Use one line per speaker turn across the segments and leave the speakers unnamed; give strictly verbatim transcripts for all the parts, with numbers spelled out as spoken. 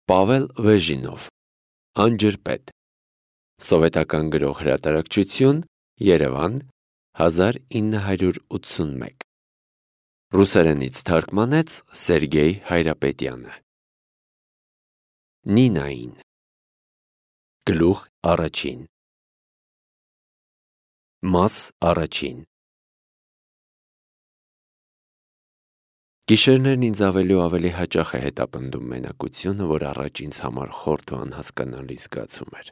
Պավել Վեժինով, Անջրպետ, Սովետական գրող հրատարակչություն, Երևան, հազար ինը հարյուր ութսունմեկ, Ռուսերենից թարգմանեց Սերգեյ Հայրապետյանը։ Նինային, Գլուխ առաջին, Մաս առաջին։ Գիշերներն ինձ ավելի ու ավելի հաճախ է հետապնդում մենակությունը, որ առաջ ինձ համար խորթ ու անհասկանալի զգացում էր։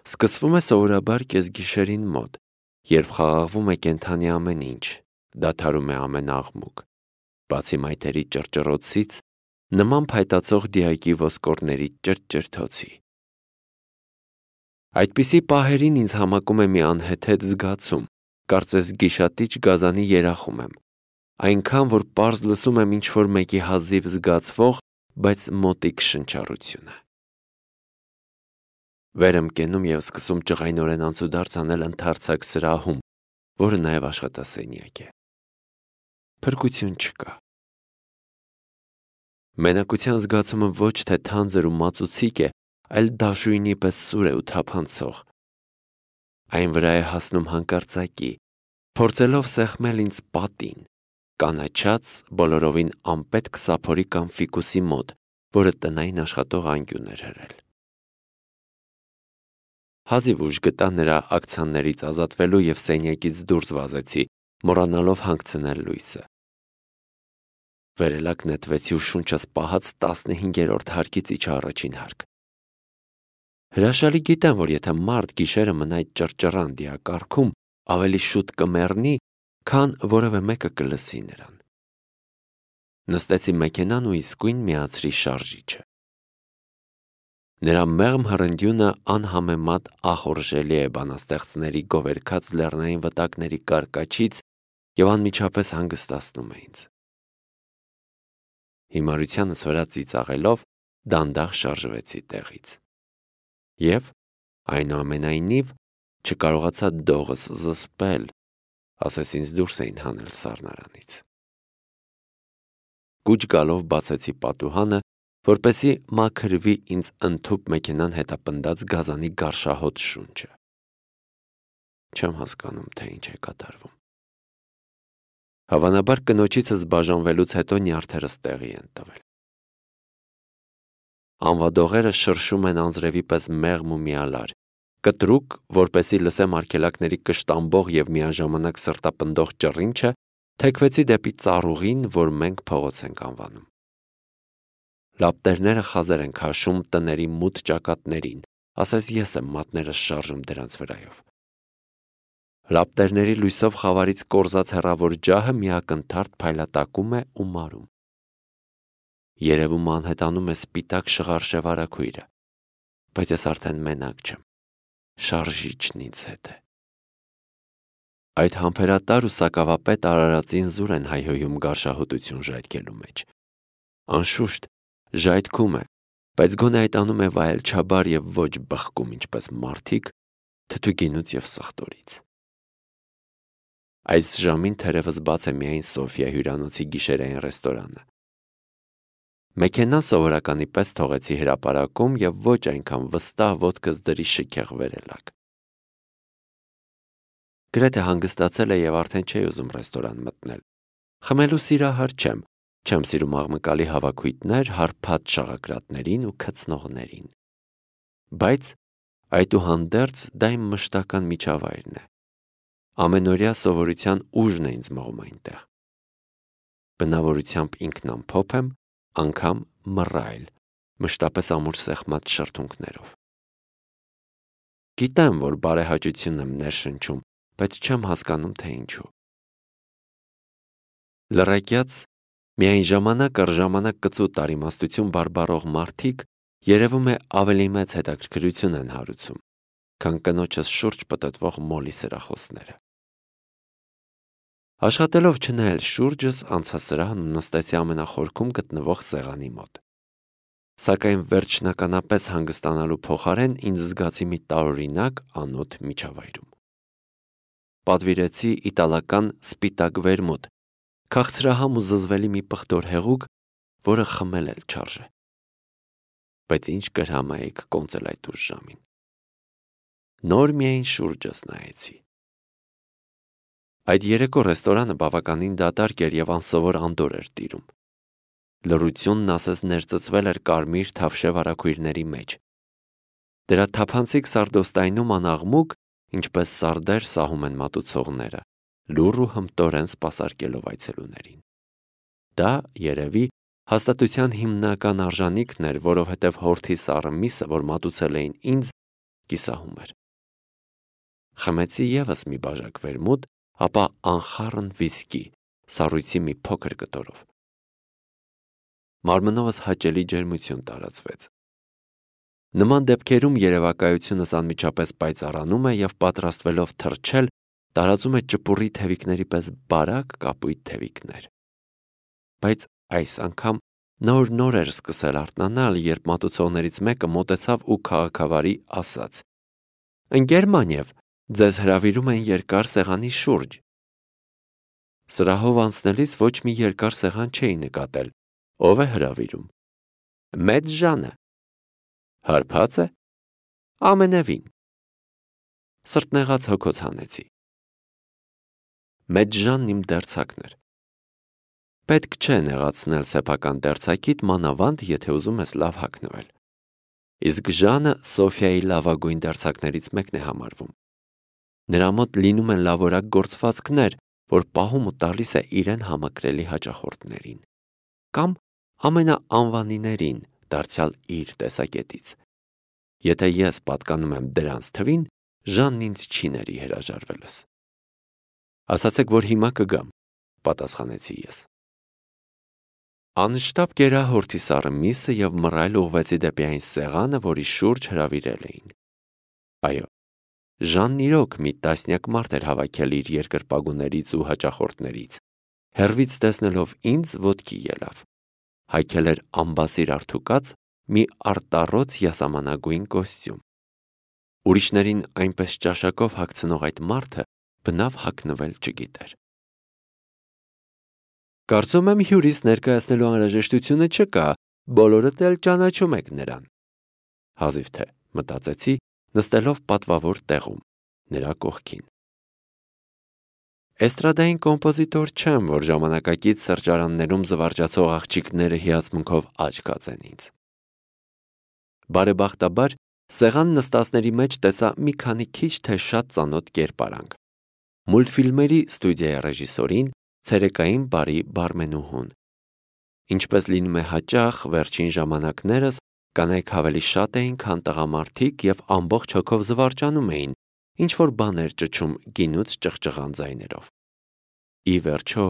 Սկսվում է սովորաբար կեսգիշերին մոտ, երբ խաղաղվում է կենդանի ամեն ինչ, դադարում է ամեն աղմուկ, բացի մայթերի ճռճռոցից, նման փայտացող դիակի ոսկորների ճրճրթոցի։ Այդպիսի պահերին ինձ համակում է մի անհեթեթ զգացում, կարծես գիշատիչ գազանի երախում եմ, այնքան, որ պարզ լսում եմ ինչ-որ մեկի հազիվ զգացվող, բայց մոտիկ շնչառությունը։ Վեր եմ կենում և սկսում ջղայնորեն անցուդարձ անել ընդարձակ սրահում, որը նաև աշխատասենյակ է։ Փրկություն չկա։ Մենակության զգացումը ոչ թե թանձր ու մածուցիկ է, այլ դաշույնի պես սուր է ու թափանցող։ Այն վրա է հասնում հանկարծակի, փորձելով սեղմել ինձ պատին, կանաչած, բոլորովին անպետք սափորի կամ ֆիկուսի մոտ, որը տնային աշխատող անկյուն էր հրել։ Հազիվ ուժ գտա նրա ակցիաներից ազատվելու և սենյակից դուրս վազեցի, մոռանալով հանգցնել լույսը։ Վերելակ նետվեցի ու շունչս պահած տասնհինգերորդ հարկից իջա առաջին հարկ։ Հրաշալի գիտեմ, որ եթե մարդ գիշերը մնա այդ ճռճռան դիակառքում, ավելի շուտ կմեռնի, քան որևէ մեկը կլսի նրան։ Նստեցի մեքենան ու իսկույն միացրի շարժիչը։ Նրա մեղմ հռնդյունը անհամեմատ ախորժելի է բանաստեղծների գովերգած լեռնային վտակների կարկաչից և անմիջապես հանգստացնում է ինձ։ Հիմարությանս վրա ծիծաղելով դանդաղ շարժվեցի տեղից։ Եվ, այնուամենայնիվ, չկարողացա դողս զսպել, ասես ինձ դուրս էին հանել սառնարանից։ Կուչ գալով բացեցի պատուհանը, որպեսզի մաքրվի ինձ ընդհուպ մեքենան հետապնդած գազանի գարշահոտ շունչը։ Չեմ հասկանում, թե ինչ է կատարվում։ Հավանաբար կնոջիցս բաժանվելուց հետո նյարդերս տեղի են տվել։ Անվադողերը շրշում են անձրևի պես մեղմ ու միալար, կտրուկ, որպեսզի լսեմ արգելակների կշտամբող և միաժամանակ սրտապնդող ճռինչը, թեքվեցի դեպի ծառուղին, որ մենք փողոց ենք անվանում։ Լապտերները խազեր են քաշում տների մութ ճակատներին, ասես ես եմ մատներս շարժում դրանց վրայով։ Լապտերների լույսով խավարից կորզած հեռավոր ջահը միակնթարթ փայլատակում է ու մարում։ Երևում անհետանում է սպիտակ շղարշև արագույրը, բայց ես արդեն մենակ չեմ, շարժիչն ինձ հետ է։ Այդ համբերատար ու սակավապետ արարածին զուր են հայհոյում գարշահոտություն ժայթքելու մեջ։ Անշուշտ, ժայթքում է, բայց գոնե այդ անում է վայելչաբար և ոչ բխկում, ինչպես մարդիկ, թթուգինուց և սխտորից։ Այս ժամին թերևս բաց է միայն Սոֆիա հյուրանոցի գիշերային ռեստորանը։ Մեքենան սովորականի պես թողեցի հրապարակում և ոչ այնքան վստահ ոտքս դրի շքեղ վերելակ։ Գրեթե հանգստացել է և արդեն չէի ուզում ռեստորան մտնել։ Խմելու սիրահար չեմ, չեմ սիրում աղմկալի հավաքույթներ հարբած շաղակրատներին ու քծնողներին։ Բայց այդուհանդերձ դա իմ մշտական միջավայրն է։ Ամենօրյա սովորության ուժն է ինձ մղում այնտեղ։ Բնավորությամբ ինքնամփոփ եմ, անգամ մռայլ, մշտապես ամուր սեղմած շրթունքներով։ Գիտեմ, որ բարեհաճությունն եմ ներշնչում, բայց չեմ հասկանում, թե ինչու։ Լռակյաց, միայն ժամանակ առ ժամանակ կծու տարիմաստություն բարբառող մարդիկ, երևում է ավելի մեծ հետաքրքրություն են հարուցում, քան կնոջս շուրջ պտտվող մոլի սրախոսները։ Աշխատելով չնայել շուրջս, անցա սրահն ու նստեցի ամենախորքում գտնվող սեղանի մոտ։ Սակայն վերջնականապես հանգստանալու փոխարեն ինձ զգացի մի տարօրինակ անոթ միջավայրում։ Պատվիրեցի իտալական սպիտակ վերմուտ, քաղցրահամ ու զզվելի մի պղտոր հեղուկ, որը խմել էլ չարժե։ բայց ինչ կրհամայեք կոնծել այդ ուշ ժամին։ Նոր միայն շուրջս նայեցի։ Այդ երեկո ռեստորանը բավականին դատարկ էր և անսովոր անդորր էր տիրում։ Լռությունն ասես ներծծվել էր կարմիր թավշե վարագույրների մեջ։ Դրա թափանցիկ սարդոստայնում անաղմուկ, ինչպես սարդեր սահում են մատուցողները, լուռ ու հմտորեն սպասարկելով այցելուներին։ Դա, երևի, հաստատության հիմնական արժանիքն էր, որովհետև հորթի սառը միսը, որ մատուցել էին ինձ, կիսահում էր։ Խմեցի ևս մի բաժակ վերմուտ, ապա անխառն վիսկի, սառույցի մի փոքր կտորով։ Մարմնովս հաճելի ջերմություն տարածվեց։ Նման դեպքերում երևակայությունս անմիջապես պայծառանում է և պատրաստվելով թռչել, տարածում է ճպուռի թևիկների պես բարակ կապույտ թևիկներ։ Բայց այս անգամ նոր-նոր էր սկսել արթնանալ, երբ մատուցողներից մեկը մոտեցավ ու քաղաքավարի ասաց. «Ընկեր Մանև, ձեզ հրավիրում են երկար սեղանի շուրջ»։ Սրահով անցնելիս ոչ մի երկար սեղան չէի նկատել։ Ո՞վ է հրավիրում։ Մեծ Ժանը։ Հարբա՞ծ է։ Ամենևին։ Սրտնեղած հոգոց հանեցի։ Մեծ Ժանն իմ դերձակն էր։ Պետք չէ նեղացնել սեփական դերձակիդ, մանավանդ, եթե ուզում ես լավ հագնվել։ Իսկ Ժանը Սոֆիայի լավագույն դերձակներից մեկն է համարվում։ Նրա մոտ լինում են լավորակ գործվածքներ, որ պահում ու տալիս է իրեն համակրելի հաճախորդներին, կամ ամենաանվանիներին, դարձյալ իր տեսակետից։ Եթե ես պատկանում եմ դրանց թվին, Ժանն ինձ չի ների հրաժարվելս։ Ասացեք, որ հիմա կգամ, պատասխանեցի ես։ Անշտապ կերա հորթի սառը միսը և մռայլ ուղղվեցի դեպի այն սեղանը, որի շուրջ հրավիրել էին։ Այո, Ժանն իրոք մի տասնյակ մարդ էր հավաքել իր երկրպագուներից ու հաճախորդներից, հեռվից տեսնելով ինձ ոտքի ելավ, հայքել էր ամբասիր արթուկած մի արտառոց յասամանագույն կոստյում։ Ուրիշներին այնպես ճաշակով հագցնող այդ մարդը բնավ հագնվել չգիտեր։ Կարծում եմ հյուրիս ներկայացնելու անհրաժեշտությունը չկա, բոլորդ էլ ճանաչում եք նրան։ Հազիվ թե, մտածեցի, նստելով պատվավոր տեղում, նրա կողքին։ Էստրադային կոմպոզիտոր չեմ, որ ժամանակակից սրճարաններում զվարճացող աղջիկները հիացմունքով աչք կածեն ինձ։ Բարեբախտաբար, սեղան նստածների մեջ տեսա մի քանի քիչ թե շատ ծանոթ կերպարանք։ Մուլտֆիլմերի ստուդիայի ռեժիսորին, ցերեկային բարի բարմենուհուն։ Ինչպես լինում է հաճախ, վերջին ժամանակներս կանայք ավելի շատ էին, քան տղամարդիկ և ամբողջ հոգով զվարճանում էին, ինչ-որ բաներ ճչում գինուց ճղճղան ձայներով։ Ի վերջո,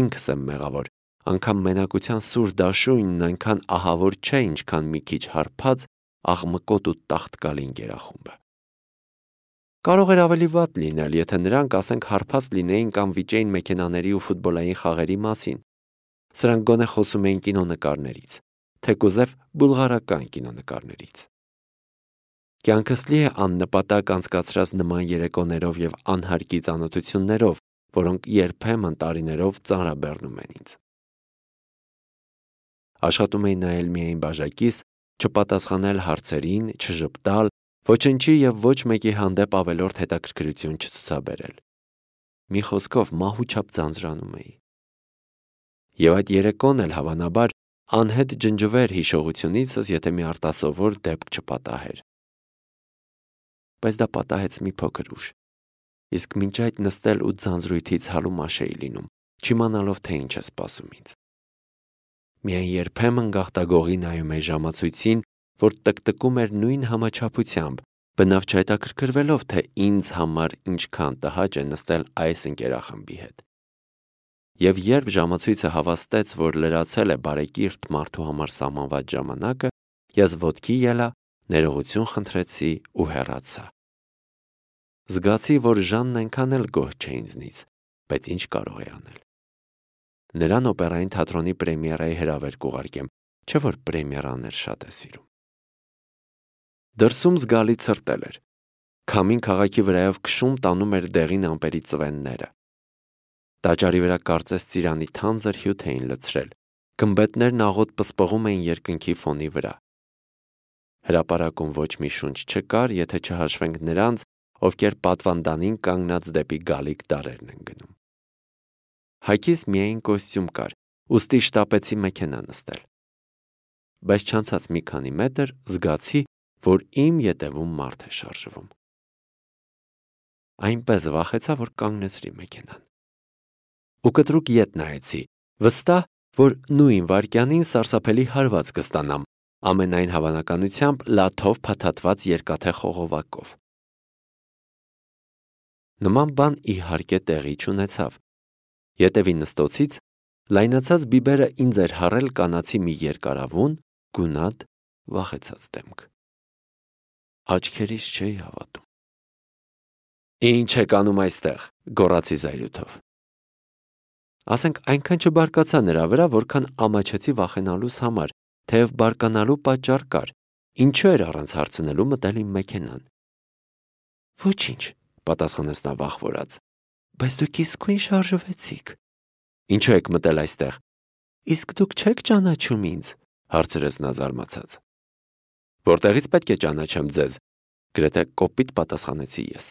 ինքս եմ մեղավոր, անգամ մենակության սուր դաշույնն այնքան ահավոր չէ, ինչքան մի քիչ հարբած, աղմկոտ ու տաղտկալի ընկերախումբը։ Կարող էր ավելի վատ լինել, եթե նրանք, ասենք, հարբած լինեին կամ վիճեին մեքենաների ու ֆուտբոլային խաղերի մասին։ Սրանք գոնե խոսում էին կինոնկարներից, թեկուզև բուլղարական կինոնկարներից։ Կյանքս լի է աննպատակ անցկացրած նման երեկոներով և անհարկի ծանոթություններով, որոնք երբեմն տարիներով ծանրաբեռնում են ինձ։ Աշխատում էի նայել միայն բաժակիս, չպատասխանել հարցերին, չժպտալ, ոչնչի և ոչ մեկի հանդեպ ավելորդ հետաքրքրություն չցուցաբերել։ Մի խոսքով մահուչապ ձանձրանում էի։ Եվ այդ երեկոն էլ հավանաբար անհետ ջնջվեր հիշողությունիցս, եթե մի արտասովոր դեպք չպատահեր։ Բայց դա պատահեց մի փոքր ուշ։ Իսկ մինչ այդ նստել ու ձանձրույթից հալումաշ էի լինում, չիմանալով, թե ինչ է սպասում ինձ։ Միայն երբեմն գաղտագողի նայում էի ժամացույցին, որ տկտկում էր նույն համաչափությամբ, բնավ չհետաքրքրվելով, թե ինձ համար ինչքան տհաճ է նստել այս ընկերախմբի հետ։ Եվ երբ ժամացույցը հավաստեց, որ լրացել է բարեկիրթ մարդու համար սահմանված ժամանակը, ես ոտքի ելա, ներողություն խնդրեցի ու հեռացա։ Զգացի, որ Ժանն այնքան էլ գոհ չէ ինձնից, բայց ինչ կարող է անել։ Նրան օպերային թատրոնի պրեմիերայի հրավեր կուղարկեմ, չէ որ պրեմիերաներ շատ է սիրում։ Դրսում զգալի ցրտել էր։ Քամին քաղաքի վրայով քշում տանում էր դեղին ամպերի ծվենները։ Տաճարի վրա կարծես ծիրանի թանձր հյութ էին լցրել, գմբեթներն աղոտ պսպղում էին երկնքի ֆոնի վրա։ Հրապարակում ոչ մի շունչ չկար, եթե չհաշվենք նրանց, ովքեր պատվանդանին կանգնած դեպի գալիք դարերն են գնում։ Հայքիս միայն կոստյում կար, ուստի շտապեցի մեքենա նստել։ Բայց չանցած մի քանի մետր զգացի, որ իմ ետևում մարդ է շարժվում։ Այնպես վախեցա, որ կանգնեցրի մեքենան։ Ու կտրուկ ետ նայեցի, վստահ, որ նույն վայրկյանին սարսափելի հարված կստանամ, ամենայն հավանականությամբ լաթով փաթաթված երկաթե խողովակով։ Նման բան իհարկե տեղի չունեցավ։ Ետևի նստոցից լայնացած բիբերը ինձ էր հառել կանացի մի երկարավուն, գունատ, վախեցած դեմք։ Աչքերիս չէի հավատում։ Ինչ եք անում այստեղ, գոռացի զայրույթով։ Ասենք այնքան չբարկացա նրա վրա, որքան ամաչեցի վախենալուս համար, թեև բարկանալու պատճառ կար, ինչու էր առանց հարցնելու մտել իմ մեքենան։ Ոչինչ, պատասխանեց նա վախվորած, բայց դուք իսկույն շարժվեցիք։ Ինչու եք մտել այստեղ։ Իսկ դուք չեք ճանաչում ինձ, հարցրեց նա զարմացած։ Որտեղից պետք է ճանաչեմ ձեզ, գրեթե կոպիտ պատասխանեցի ես։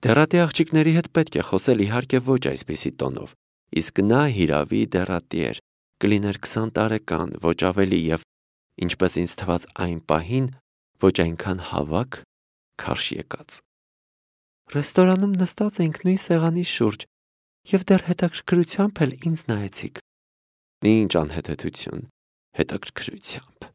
Դեռատի աղջիկների հետ պետք է խոսել իհարկե ոչ այսպիսի տոնով, իսկ նա հիրավի դեռատի էր, կլիներ քսան տարեկան, ոչ ավելի և, ինչպես ինձ թվաց այն պահին, ոչ այնքան հավաք, քարշ եկած։ Ռեստորանում նստած էինք նույն սեղանի շուրջ և դեռ հետաքրքրությամբ էլ ինձ նայեցիք։ Ինչ անհեթեթություն, հետաքրքրությամբ։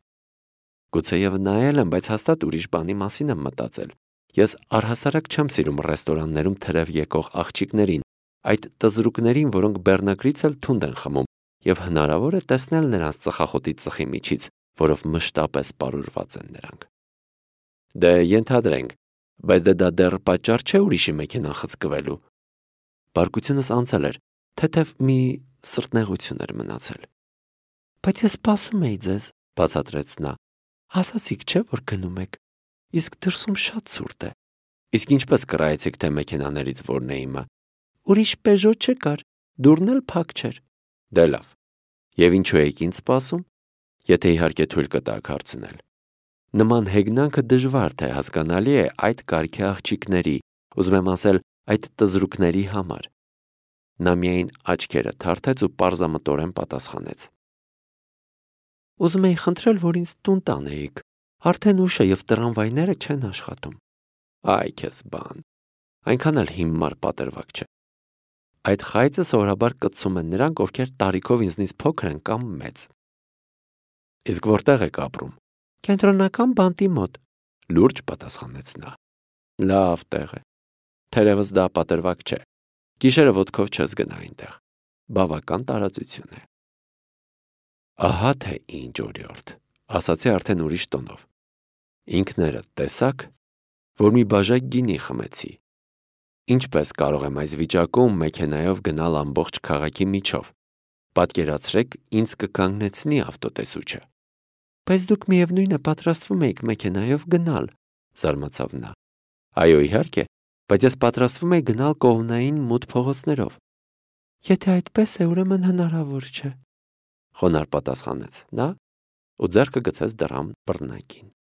Գուցեև նայել եմ, բայց հաստատ ուրիշ բանի մասին եմ մտածել։ Ես առհասարակ չեմ սիրում ռեստորաններում թրև եկող աղջիկներին, այդ տզրուկներին, որոնք բեռնագրից էլ թունդ են խմում, և հնարավոր է տեսնել նրանց ծխախոտի ծխի միջից, որով մշտապես պարուրված են նրանք։ Դե ենթադրենք, բայց դե դա դեռ պատճառ չէ ուրիշի մեքենան խցկվելու։ Բարկությունս անցել էր, թեթև մի սրտնեղություն էր մնացել։ Բայց ես սպասում էի ձեզ, բացատրեց նա։ Ասացիք չէ, որ գնում եք, իսկ դրսում շատ ցուրտ է։ Իսկ ինչպես կռայեցիք, թե մեքենաներից որն է իմը։ Ուրիշ Պեժո չկար, դուռն էլ փակ չէր։ Դե լավ։ Եվ ինչու եք ինձ սպասում, եթե իհարկե թույլ կտաք հարցնել։ Նման հեգնանքը դժվար թե հասկանալի է այդ կարգի աղջիկների, ուզում եմ ասել, այդ տզրուկների համար։ Նա միայն աչքերը թարթեց ու պարզամտորեն պատասխանեց. Ուզում էի խնդրել, որ ինձ տուն տանեիք, արդեն ուշ է և տրամվայները չեն աշխատում։ Այ քեզ բան, այնքան էլ հիմար պատրվակ չէ։ Այդ խայծը սովորաբար կծում են նրանք, ովքեր տարիքով ինձնից փոքր են կամ մեծ։ Իսկ որտեղ եք ապրում։ Կենտրոնական բանտի մոտ, լուրջ պատասխանեց նա։ Լավ տեղ է։ Թերևս դա պատրվակ չէ։ Գիշերը ոտքով չես գնա այնտեղ։ Բավական տարածություն է։ Ահա թե ինչ օրիորդ, ասացի արդեն ուրիշ տոնով։ Ինքներդ տեսաք, որ մի բաժակ գինի խմեցի։ Ինչպես կարող եմ այս վիճակում մեքենայով գնալ ամբողջ քաղաքի միջով։ Պատկերացրեք, ինձ կկանգնեցնի ավտոտեսուչը։ Բայց դուք միևնույն է պատրաստվում եք մեքենայով գնալ, զարմացավ նա։ Այո, իհարկե, բայց ես պատրաստվում եմ գնալ կողմնային մութ փողոցներով։ Եթե այդպես է, ուրեմն հնարավոր չէ, խոնարհ պատասխանեց նա ու ձեռքը գցեց դռան բռնակին։